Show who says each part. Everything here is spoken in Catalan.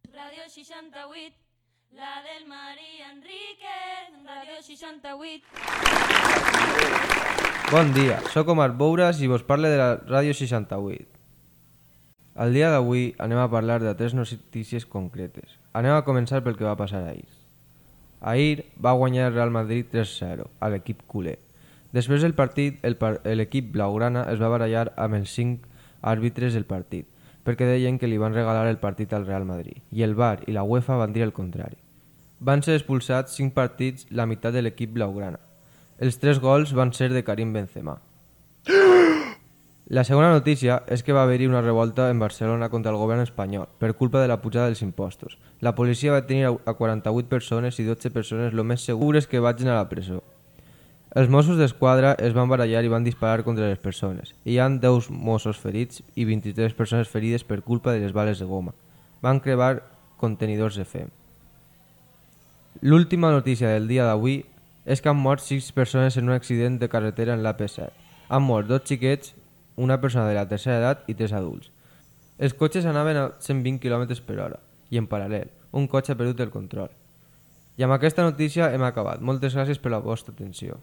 Speaker 1: Ràdio 68, la del Maria Enríquez, Ràdio 68.
Speaker 2: Bon dia, sóc Omar Bouras i vos parle de la Ràdio 68. Al dia d'avui anem a parlar de 3 notícies concretes. Anem a començar pel que va passar ahir. Ahir va guanyar el Real Madrid 3-0 a l'equip culer. Després del partit, l'equip blaugrana es va barallar amb els 5 àrbitres del partit, perquè deien que li van regalar el partit al Real Madrid, i el VAR i la UEFA van dir el contrari. Van ser expulsats 5 partits, la meitat de l'equip blaugrana. Els 3 gols van ser de Karim Benzema. La segona notícia és que va haver-hi una revolta en Barcelona contra el govern espanyol per culpa de la pujada dels impostos. La policia va detenir a 48 persones i 12 persones lo més segures que vagin a la presó. Els Mossos d'Esquadra es van barallar i van disparar contra les persones. Hi ha 10 Mossos ferits i 23 persones ferides per culpa de les bales de goma. Van cremar contenidors de fem. L'última notícia del dia d'avui és que han mort 6 persones en un accident de carretera en l'AP7. Han mort 2 xiquets, una persona de la tercera edat i 3 adults. Els cotxes anaven a 120 km per hora i en paral·lel, un cotxe ha perdut el control. I amb aquesta notícia hem acabat. Moltes gràcies per la vostra atenció.